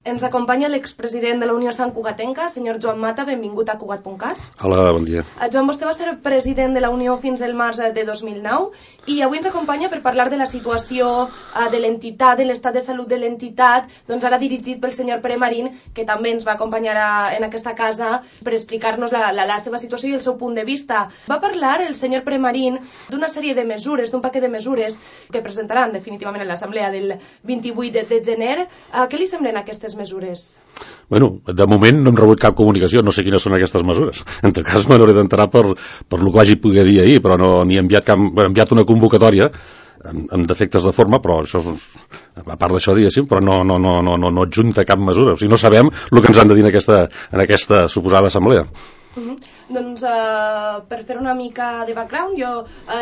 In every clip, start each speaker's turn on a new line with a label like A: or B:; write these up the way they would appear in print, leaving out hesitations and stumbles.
A: Ens acompanya l'expresident de la Unió Santcugatenca, senyor Joan Mata. Benvingut a Cugat.cat.
B: Hola, bon dia.
A: Joan, vostè va ser president de la Unió fins al març de 2009 i avui ens acompanya per parlar de la situació de l'entitat, de l'estat de salut de l'entitat, doncs ara dirigit pel senyor Pere Marín, que també ens va acompanyar en aquesta casa per explicar-nos la seva situació i el seu punt de vista. Va parlar el senyor Pere Marín d'una sèrie de mesures, d'un paquet de mesures que presentaran definitivament en l'assemblea del 28 de gener. Què li semblen aquestes mesures?
B: Bueno, de moment no hem rebut cap comunicació, no sé quines són aquestes mesures. En tot cas, me n'hauré d'enterar per el que vagi poder dir ahir, però no n'hi he enviat cap... He enviat una convocatòria amb defectes de forma, però això és, a part d'això, diguéssim, però no adjunta cap mesura. O sigui, no sabem el que ens han de dir en aquesta suposada assemblea.
A: Doncs per fer una mica de background, jo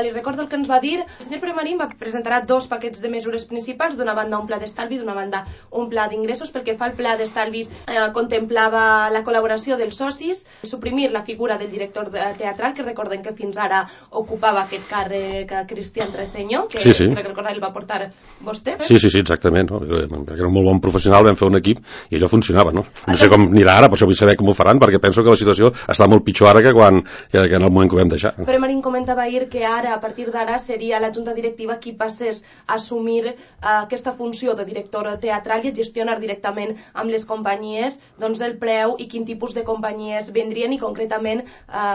A: li recordo el que ens va dir. El senyor Pere Marín presentarà dos paquets de mesures principals, d'una banda un pla d'estalvi, d'una banda un pla d'ingressos. Pel que fa al pla d'estalvis, contemplava la col·laboració dels socis, suprimir la figura del director teatral, que recorden que fins ara ocupava aquest càrrec Cristian Treceño, que
B: sí.
A: Crec recordar el va portar vostè.
B: Sí, exactament. No? Era un molt bon professional, vam fer un equip i allò funcionava. No sé com anirà ara, per això vull saber com ho faran, perquè penso que la situació està molt pitjor ara que en el moment que ho vam deixar.
A: Pere Marín comentava ahir que ara, a partir d'ara, seria la Junta Directiva qui passés a assumir aquesta funció de director teatral i a gestionar directament amb les companyies doncs el preu i quin tipus de companyies vendrien i concretament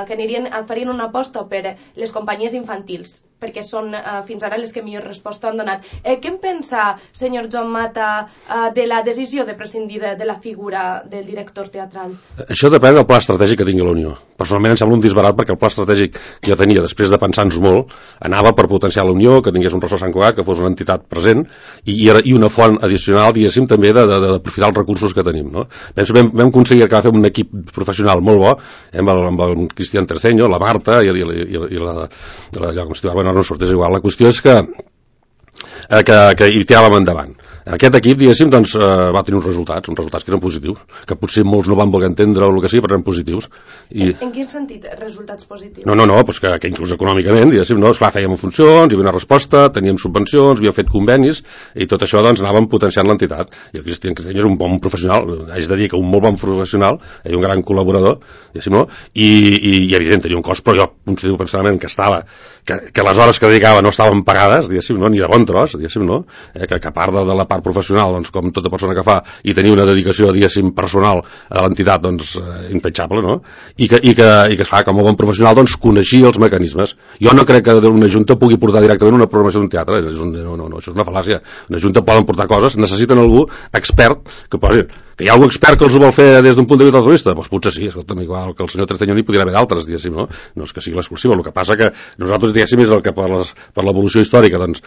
A: que farien una aposta per les companyies infantils, perquè són fins ara les que millor resposta han donat. Què en pensa, senyor Joan Mata, de la decisió de prescindir de la figura del director teatral?
B: Això depèn del pla estratègic que tingui la Unió. Personalment em sembla un disbarat, perquè el pla estratègic que jo tenia, després de pensar-nos molt, anava per potenciar la Unió, que tingués un ressò Sant Cugat, que fos una entitat present, i una font addicional, diguéssim, també d'aprofitar els recursos que tenim. No? Penso que vam aconseguir que va fer un equip professional molt bo, amb el Cristian Treceño, la Marta i la com es diu, no sortís igual. La qüestió és que hi tiràvem endavant. Aquest equip, diguéssim, doncs, va tenir uns resultats que eren positius, que potser molts no van voler entendre o el que sigui, però eren positius.
A: En quin sentit, resultats positius?
B: No, doncs que inclús econòmicament, diguéssim, no, esclar, fèiem funcions, hi havia una resposta, teníem subvencions, havíem fet convenis, i tot això, doncs, anàvem potenciant l'entitat. I el Cristian Treceño és un bon professional, haig de dir que un molt bon professional, i un gran col·laborador, diguéssim, no? I evident, tenia un cost, però jo considero personalment que les hores que dedicava no estaven pagades, diguéssim, no? Ni de bon tros, diguéssim, no? Que a part de la part professional, doncs, com tota persona que fa, i tenir una dedicació, diguéssim, personal a l'entitat, doncs, intachable, no? I que clar, com a bon professional, doncs, coneixia els mecanismes. Jo no crec que una junta pugui portar directament una programació d'un teatre, no, això és una fal·làcia. Una junta poden portar coses, necessiten algú expert, que hi ha algú expert que els ho vol fer des d'un punt de vista altruista? Doncs potser sí, escolta'm, igual que el senyor Treceño n'hi podria haver d'altres, diguéssim, no? No és que sigui l'exclusiva, el que passa que nosaltres, diguéssim, és el que per l'evolució històrica, doncs,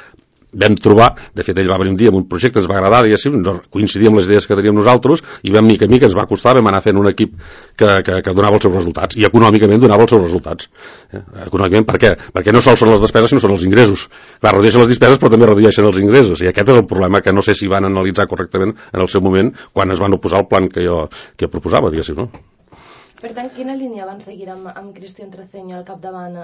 B: vam trobar, de fet ell va venir un dia amb un projecte, ens va agradar, diguéssim, coincidir amb les idees que teníem nosaltres, i vam mica a mica, ens va costar, vam anar fent un equip que donava els seus resultats, i econòmicament donava els seus resultats. Econòmicament, per què? Perquè no sols són les despeses, sinó són els ingressos. Clar, redueixen les despeses, però també redueixen els ingressos, i aquest és el problema que no sé si van analitzar correctament en el seu moment, quan es van oposar al plan que jo proposava, diguéssim, no?
A: Per tant, quina línia van seguir amb Cristian Treceño al capdavant?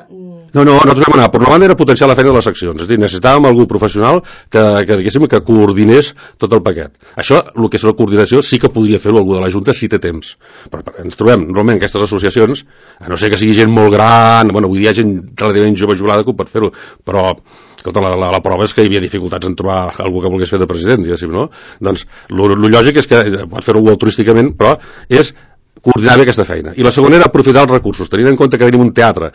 B: No, nosaltres vam anar. Per una banda era potenciar la feina de les seccions, és a dir, necessitàvem algú professional que coordinés tot el paquet. Això, el que és la coordinació, sí que podria fer-ho algú de la Junta si té temps. Però ens trobem normalment aquestes associacions, a no ser que sigui gent molt gran, bueno, avui hi ha gent relativament jove jubilada que ho pot fer-ho, però escolta, la prova és que hi havia dificultats en trobar algú que volgués fer de president, diguéssim, no? Doncs, el lògic és que pot fer-ho altruísticament, però és coordinar bé aquesta feina. I la segona era aprofitar els recursos, tenint en compte que tenim un teatre,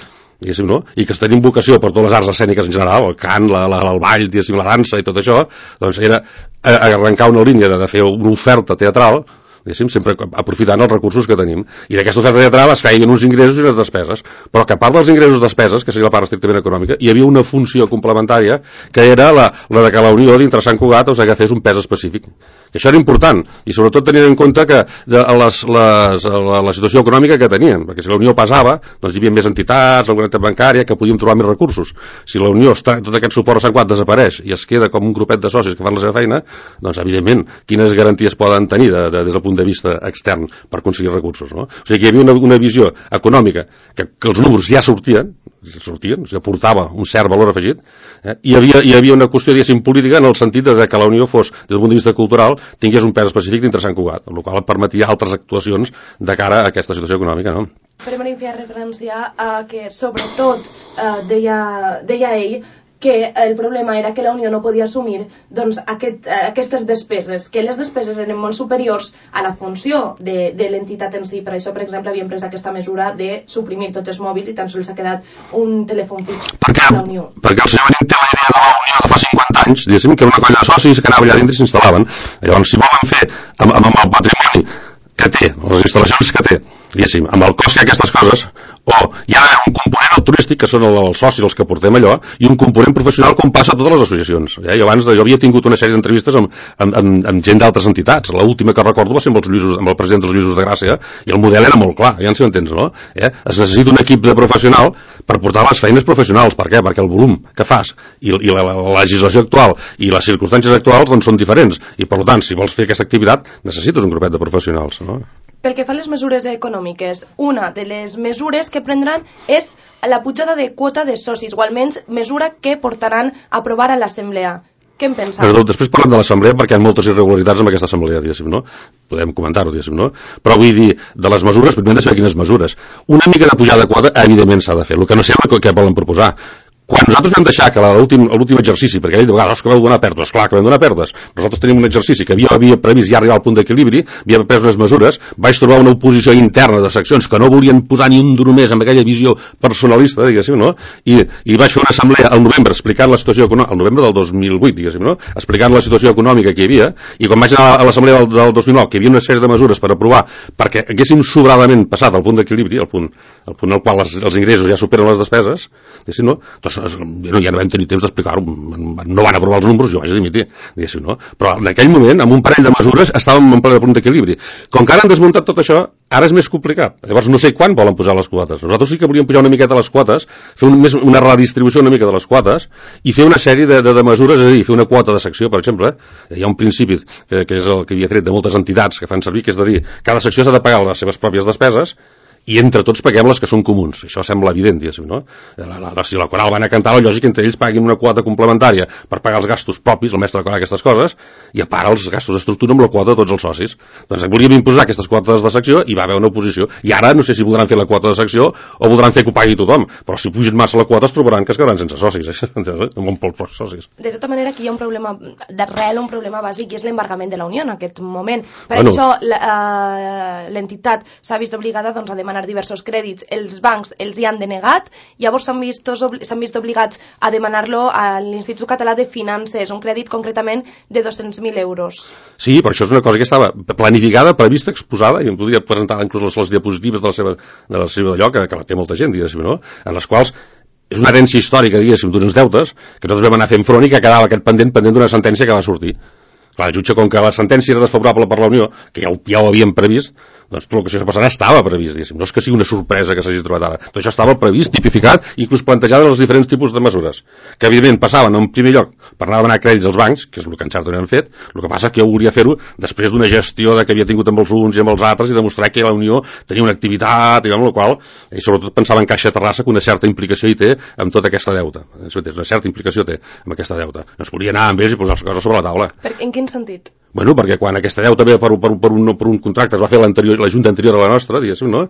B: diguéssim, no? I que tenim vocació per totes les arts escèniques en general, el cant, el ball, diguéssim, la dansa i tot això, doncs era arrencar una línia de fer una oferta teatral, diguéssim, sempre aprofitant els recursos que tenim. I d'aquesta oferta teatral es caiguen uns ingressos i unes despeses. Però que a part dels ingressos i despeses, que seria la part estrictament econòmica, hi havia una funció complementària que era la de que la Unió dintre Sant Cugat agafés un pes específic. I això era important, i sobretot tenint en compte que la situació econòmica que teníem, perquè si la Unió pesava, doncs hi havia més entitats, alguna entitat bancària, que podíem trobar més recursos. Si la Unió, tot aquest suport a Sant Cugat desapareix i es queda com un grupet de socis que fan la seva feina, doncs evidentment, quines garanties poden tenir des del punt de vista extern per aconseguir recursos, no? O sigui que hi havia una visió econòmica que els números ja sortien, sortien, aportava un cert valor afegit, i hi havia una qüestió, diguéssim, política en el sentit de que la Unió fos, des del punt de vista cultural, tingués un pes específic dintre Sant Cugat, el qual permetia altres actuacions de cara a aquesta situació econòmica, no?
A: Però m'hi feia referència a que, sobretot, deia ell, que el problema era que la Unió no podia assumir doncs, aquestes despeses, que les despeses eren molt superiors a la funció de l'entitat en si. Per això, per exemple, havien pres aquesta mesura de suprimir tots els mòbils i tan sols s'ha quedat un telèfon fix a la Unió.
B: Perquè el senyor Benet té la idea de la Unió de fa 50 anys, diguéssim, que era una colla de socis que anava allà dintre i s'instal·laven. Llavors, si volen fer amb el patrimoni que té, les instal·lacions que té, diguéssim, amb el cost que aquestes coses, o hi ha un component turístic, que són els socis els que portem allò, i un component professional com passa a totes les associacions. Jo havia tingut una sèrie d'entrevistes amb gent d'altres entitats. L'última que recordo va ser amb el president dels Lluïsos de Gràcia, i el model era molt clar, ja si ho entens, no? Es necessita un equip de professional per portar les feines professionals. Per què? Perquè el volum que fas i la legislació actual i les circumstàncies actuals doncs, són diferents, i per tant, si vols fer aquesta activitat, necessites un grupet de professionals, no?
A: Pel que fa a les mesures econòmiques, una de les mesures que prendran és la pujada de quota de socis, o almenys mesura que portaran a aprovar a l'Assemblea. Què en penseu?
B: Però després parlem de l'Assemblea perquè hi ha moltes irregularitats en aquesta Assemblea, diguéssim, no? Podem comentar-ho, diguéssim, no? Però vull dir, de les mesures, primer hem de saber quines mesures. Una mica de pujada de quota, evidentment, s'ha de fer. El que no sembla que volen proposar. Quan nosaltres vam deixar que l'últim exercici, perquè ell diu, que vau donar pèrdues, clar que vam donar pèrdues, nosaltres tenim un exercici que havia previst ja arribar al punt d'equilibri, havia pres unes mesures, vaig trobar una oposició interna de seccions que no volien posar ni un duro més amb aquella visió personalista, diguéssim, no? I vaig fer una assemblea al novembre explicant la situació econòmica, al novembre del 2008, diguéssim, no? Explicant la situació econòmica que hi havia, i quan vaig anar a l'assemblea del 2009, que hi havia una sèrie de mesures per aprovar perquè haguéssim sobradament passat al punt d'equilibri, el punt al qual els ingressos ja superen les despeses, diguéssim, no? Doncs ja no vam tenir temps d'explicar-ho, no van aprovar els números, jo vaig dimitir, diguéssim, no? Però en aquell moment, amb un parell de mesures, estàvem en ple punt d'equilibri. Com que ara han desmuntat tot això, ara és més complicat. Llavors no sé quan volen posar les quotes. Nosaltres sí que volíem pujar una miqueta les quotes, fer una redistribució una mica de les quotes i fer una sèrie de mesures, és a dir, fer una quota de secció, per exemple. Hi ha un principi que és el que havia tret de moltes entitats que fan servir, que és de dir, cada secció s'ha de pagar les seves pròpies despeses i entre tots paguem les que són comuns. Això sembla evident, diguéssim, no? Si la coral van a cantar, la lògica entre ells paguin una quota complementària per pagar els gastos propis, el mestre de coral, aquestes coses, i a part els gastos d'estructura amb la quota de tots els socis. Doncs volíem imposar aquestes quotes de secció i va haver una oposició. I ara no sé si voldran fer la quota de secció o voldran fer que ho pagui tothom, però si pugen massa la quota es trobaran que es quedaran sense socis, amb pocs socis.
A: De tota manera, aquí hi ha un problema d'arrel, un problema bàsic, i és l'embargament de la Unió en aquest moment. Per això l'entitat s'ha vist obligada doncs, a demanar diversos crèdits, els bancs els hi han denegat, llavors s'han vist obligats a demanar-lo a l'Institut Català de Finances, un crèdit concretament de 200.000 euros.
B: Sí, però això és una cosa que estava planificada, prevista, exposada, i em podria presentar inclús les diapositives de la seva d'allò, que la té molta gent, diguéssim, no? En les quals és una herència històrica, diguéssim, d'uns deutes que nosaltres vam anar fent front i que quedava aquest pendent d'una sentència que va sortir. Clar, el jutge, com que la sentència era desfavorable per la Unió, que ja ho havíem previst, doncs tot el que això passarà estava previst, diguéssim. No és que sigui una sorpresa que s'hagi trobat ara. Tot això estava previst, tipificat, inclús plantejat en els diferents tipus de mesures, que evidentment passaven en primer lloc per anar a demanar crèdits als bancs, que és el que en cert han fet. El que passa és que jo volia fer-ho després d'una gestió que havia tingut amb els uns i amb els altres i demostrar que la Unió tenia una activitat, i amb la qual, i sobretot pensava en Caixa Terrassa, que una certa implicació hi té amb tota aquesta deuta. Una certa implicació té amb aquesta deuta. No es volia anar amb ells i posar les coses sobre la taula.
A: En quin sentit?
B: Bueno, perquè quan aquesta deuta ve per un contracte es va fer la Junta anterior a la nostra, diguéssim, no?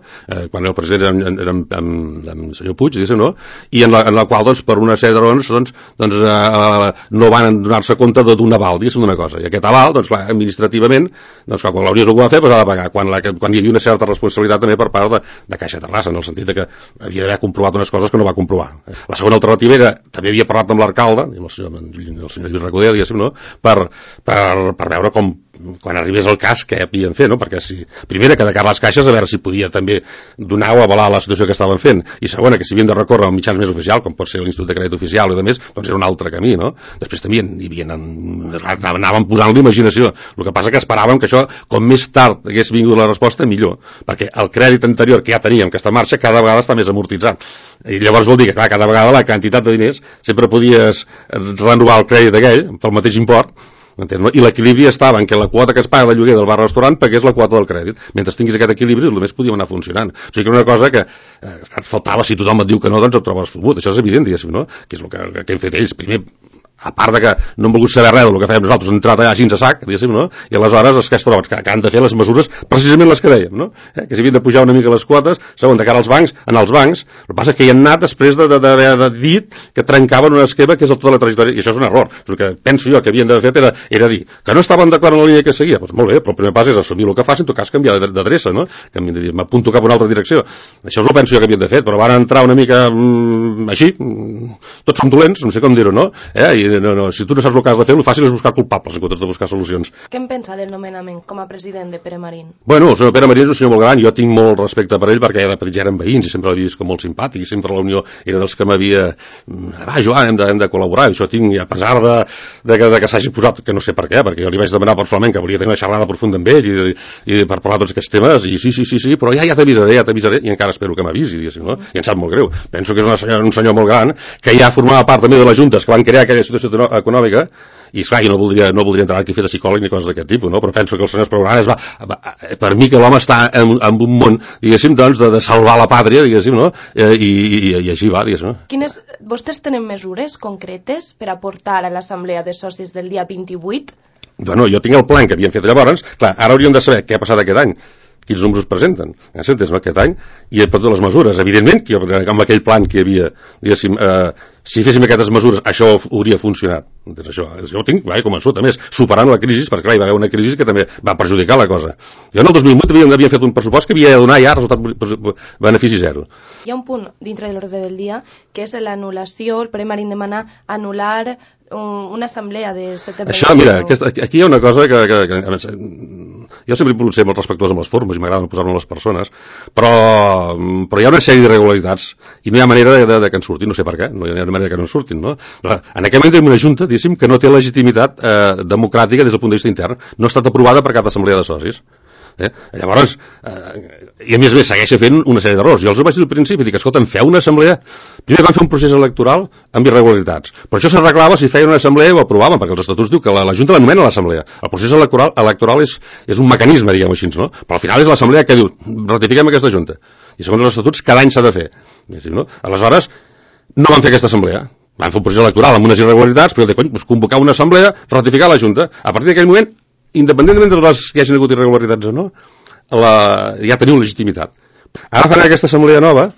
B: Quan el president era amb el senyor Puig, diguéssim, no? I en la qual, doncs, per una sèrie de raons, no van donar-se compte d'un aval, diguéssim, d'una cosa. I aquest aval, doncs, clar, administrativament, doncs, quan la Unió ho va fer, doncs ha de pagar. Quan hi havia una certa responsabilitat també per part de Caixa Terrassa, en el sentit que havia d'haver comprovat unes coses que no va comprovar. La segona alternativa era, també havia parlat amb l'alcalde, el senyor Lluís Recoder, diguéssim, no? Per veure quan arribés el cas que havien fet, no? Perquè primera, que de cara a les caixes, a veure si podia també donar o avalar la situació que estaven fent, i segona, que si havien de recórrer als mitjans més oficials, com pot ser l'Institut de Crèdit Oficial i demés, doncs era un altre camí, no? Després també anaven posant l'imaginació. El que passa que esperàvem que això, com més tard hagués vingut la resposta, millor, perquè el crèdit anterior que ja teníem, que està en marxa, cada vegada està més amortitzat. I llavors vol dir que, clar, cada vegada la quantitat de diners sempre podies renovar el crèdit aquell pel mateix import, I l'equilibri estava en què la quota que es paga de lloguer del bar-restaurant pagués la quota del crèdit. Mentre tinguis aquest equilibri, només podíem anar funcionant. O sigui que era una cosa que et faltava, si tothom et diu que no, doncs et trobes fotut. Això és evident, diguéssim, no? Que és el que hem fet ells. Primer, a part de que no han volgut saber res del que fèiem nosaltres, han entrat allà així a sac, diguéssim, no? I aleshores és que es troben que han de fer les mesures precisament les que dèiem, no? Que s'havien de pujar una mica les quotes, segon, de cara als bancs, el que passa és que hi han anat després d'haver dit que trencaven un esquema que és el tota la trajectòria, i això és un error. El que penso jo que havien d'haver fet era dir que no estaven d'acord amb la línia que seguia. Doncs molt bé, però el primer pas és assumir el que facin, en tot cas canviar d'adreça, no? Que m'apunto cap a una altra direcció. Això és el que penso jo que havien de fer, però van entrar una mica així, tots som dolents, no sé com dir-ho, no? No, si tu no saps el que has de fer, el fàcil és buscar culpables en comptes de buscar solucions.
A: Què en pensa del nomenament com a president de Pere Marín?
B: Bueno, el senyor Pere Marín és un senyor molt gran, jo tinc molt respecte per ell perquè de petit ja eren veïns i sempre l'havia vist com molt simpàtic i sempre la Unió era dels que m'havia Joan, hem de col·laborar, i això tinc, i a pesar de que s'hagi posat, que no sé per què, perquè jo li vaig demanar personalment que volia tenir una xerrada profunda amb ell i per parlar de tots aquests temes, i sí, però ja t'avisaré, i encara espero que m'avisi, no? I em sap molt greu. Penso que és un senyor molt gran, que ja formava part també de les juntes que van crear aquella situació econòmica, i esclar, jo no voldria entrar aquí a fer de psicòleg ni coses d'aquest tipus, no? Però penso que el senyor Espargaró per mi que l'home està en un món, diguéssim, doncs, de salvar la pàtria, diguéssim, no? I així va, diguéssim.
A: Vostès tenen mesures concretes per aportar a l'assemblea de socis del dia 28?
B: Bueno, jo tinc el plan que havien fet llavors, clar, ara hauríem de saber què ha passat aquest any, quins números presenten, s'entens, no, aquest any, i per totes les mesures. Evidentment, que amb aquell plan que hi havia, diguéssim, si féssim aquestes mesures, això hauria funcionat. Jo ho tinc, convençut, a més, superant la crisi, perquè clar, hi va haver una crisi que també va perjudicar la cosa. Jo en el 2008 havien fet un pressupost que havia de donar ja resultat benefici zero.
A: Hi ha un punt dintre de l'ordre del dia que és l'anul·lació, el Pere Marín demana anul·lar una assemblea de setembre.
B: Això, mira, aquí hi ha una cosa que jo sempre he pogut ser molt respectuós amb les formes i m'agrada posar-me a les persones, però hi ha una sèrie d'irregularitats i no hi ha manera de que en surtin, no sé per què, no hi ha manera que no en surtin, no? En aquest moment tenim una junta, diguéssim, que no té legitimitat democràtica des del punt de vista intern, no ha estat aprovada per cap assemblea de socis. Llavors, i a més segueixen fent una sèrie d'errors. Jo els ho vaig dir al principi, dic, escolta'm, feu una assemblea. Primer van fer un procés electoral amb irregularitats, però això s'arreglava si feien una assemblea i ho aprovaven, perquè els estatuts diu que la Junta l'anomena l'assemblea. El procés electoral és un mecanisme, diguem així, no? Però al final és l'assemblea que diu, ratifiquem aquesta Junta, i segons els estatuts cada any s'ha de fer, no? Aleshores no van fer aquesta assemblea, van fer un procés electoral amb unes irregularitats, però convocar una assemblea, ratificar la Junta. A partir d'aquell moment, independentment de les que hi hagin hagut irregularitats o no, ja teniu legitimitat. Ara faran aquesta assemblea nova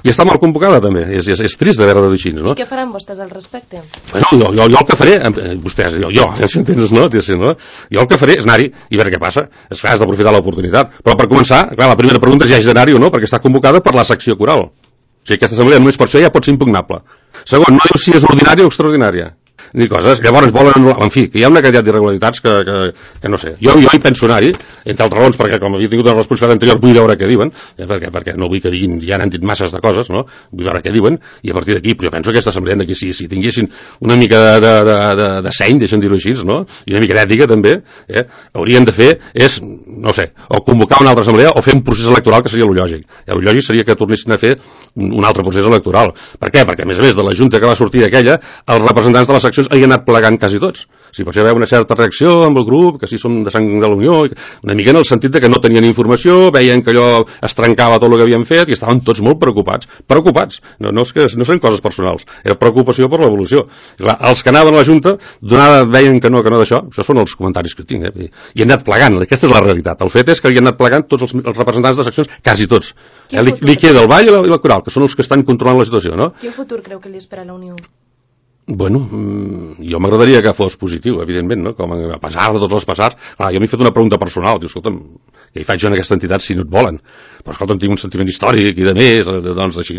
B: i està mal convocada també, és trist de veure-ho així, no?
A: I què faran vostès al respecte?
B: Bueno, jo el que faré, vostès, si entens, no? Jo el que faré és anar-hi i veure què passa. És clar, has d'aprofitar l'oportunitat, però per començar, clar, la primera pregunta és si hi ha d'anar-hi o no, perquè està convocada per la secció coral. O sigui, aquesta assemblea només per això ja pot ser impugnable. Segon, no diu si és ordinària o extraordinària ni coses, llavors volen anul·lar, en fi, que hi ha una quantitat d'irregularitats que no sé, jo hi penso anar-hi, entre altres raons, perquè com havia tingut una responsabilitat anterior vull veure què diuen, perquè no vull que diguin, ja n'han dit masses de coses, no? Vull veure què diuen, i a partir d'aquí, però jo penso que aquesta assemblea d'aquí, si tinguessin una mica de seny, deixem dir-ho així, no? I una mica d'ètica també, haurien de fer és, no sé, o convocar una altra assemblea o fer un procés electoral que seria el lògic. El lògic seria que tornessin a fer un altre procés electoral. Per què? Perquè a més de la junta que va sortir d'aquella, els representants de les seccions hi han anat plegant quasi tots. Si pot ser una certa reacció amb el grup, que si som de sang de la Unió, una mica en el sentit de que no tenien informació, veien que allò es trencava tot el que havien fet i estaven tots molt preocupats. No són coses personals, era preocupació per l'evolució. Els que anaven a la Junta veien que no d'això, això són els comentaris que tinc, i han anat plegant, aquesta és la realitat. El fet és que hi han anat plegant tots els representants de seccions, quasi tots. Li queda el Vall i la Coral, que són els que estan controlant la situació, no?
A: Quin futur creu que li espera la Unió?
B: Bueno, jo m'agradaria que fos positiu, evidentment, no? Com a pesar de tots els passats. Clar, jo m'he fet una pregunta personal, diu, escolta'm, què hi faig jo en aquesta entitat si no et volen? Però escolta'm, tinc un sentiment històric i de més, doncs així,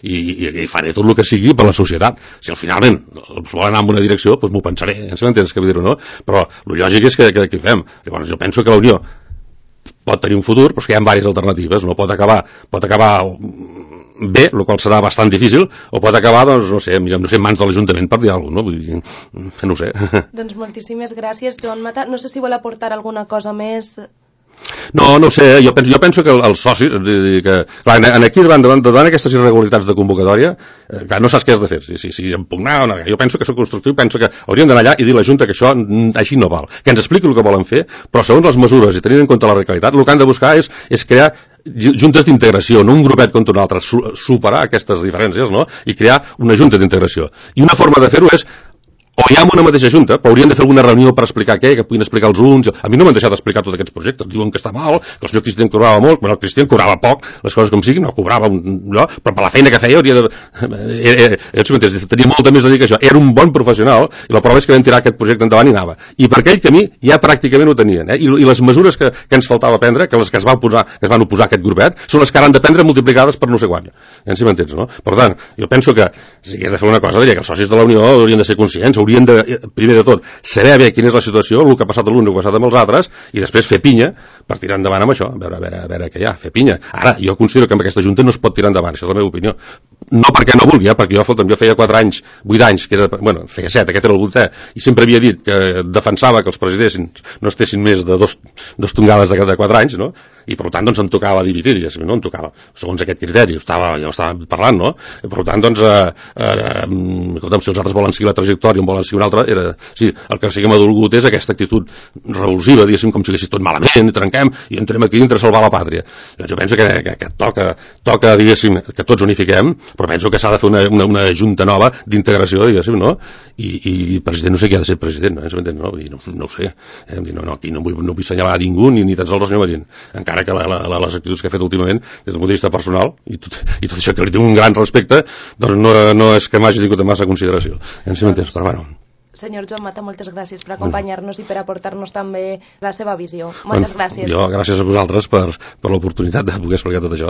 B: i faré tot el que sigui per la societat. Si al finalment els volen anar en una direcció, doncs m'ho pensaré, si m'entens què vull dir-ho, no? Però el lògic és que hi fem. Llavors jo penso que la Unió pot tenir un futur, però que hi ha diverses alternatives, no? Pot acabar bé, el qual serà bastant difícil, o pot acabar, doncs, no sé, en mans de l'Ajuntament per dir alguna cosa, no? Vull dir, no sé.
A: Doncs moltíssimes gràcies, Joan Mata. No sé si vol aportar alguna cosa més.
B: No ho sé, jo penso que els socis, que, clar, aquí davant aquestes irregularitats de convocatòria, clar, no saps què has de fer, si impugnar o no, jo penso que soc constructiu, penso que hauríem d'anar allà i dir a la Junta que això així no val, que ens expliqui el que volen fer, però segons les mesures i tenint en compte la radicalitat, el que han de buscar és crear juntes d'integració, no un grupet contra un altre, superar aquestes diferències, no? I crear una junta d'integració. I una forma de fer-ho és o hi ha una mateixa junta, però haurien de fer alguna reunió per explicar què, que puguin explicar els uns. A mi no m'han deixat d'explicar tots aquests projectes. Diuen que està mal, que el senyor Cristian cobrava molt, però el Cristian cobrava poc, les coses com siguin, no cobrava allò, però per la feina que feia hauria de... tenia molta més dedicació. Era un bon professional, i la prova és que vam tirar aquest projecte endavant i anava. I per aquell camí ja pràcticament ho tenien. I les mesures que ens faltava prendre, que les que es van oposar a aquest grupet, són les que ara han de prendre multiplicades per no sé quant. Ja si m'entens, no? Per tant, jo penso que si has de fer una cosa, diria que els socis de la Unió haurien de ser conscients, haurien de, primer de tot, saber bé quina és la situació, el que ha passat a l'un, el que ha passat amb els altres, i després fer pinya per tirar endavant amb això, a veure què hi ha, fer pinya. Ara, jo considero que amb aquesta Junta no es pot tirar endavant, això és la meva opinió. No perquè no vulgui, perquè jo feia 4 anys, 8 anys, feia 7, aquest era el 8è, i sempre havia dit que defensava que els presidents no estessin més de dos tongades de 4 anys, no? I per tant, doncs, em tocava dividir, no em tocava, segons aquest criteri, ja ho estava parlant, no? I per tant, doncs, escolta'm, si els altres volen seguir la trajectòria, volen seguir una altra, sí, el que sí que m'ha dolgut és aquesta actitud revulsiva, diguéssim, com si haguessis tot malament, i trenquem, i entrem aquí dintre a salvar la pàtria. Doncs jo penso que toca, diguéssim, que tots unifiquem, però penso que s'ha de fer una junta nova d'integració, diguéssim, no? I president no sé qui ha de ser president, no ho sé, aquí no vull assenyalar a ningú, ni tan sols el senyor Marín, encara que les actituds que ha fet últimament, des del punt de vista personal, i tot això que li tinc un gran respecte, doncs no és que m'hagi tingut massa consideració, si m'entens, però bueno.
A: Senyor Joan Mata, moltes gràcies per acompanyar-nos i per aportar-nos també la seva visió. Moltes gràcies.
B: Jo, gràcies a vosaltres per l'oportunitat de poder explicar tot això.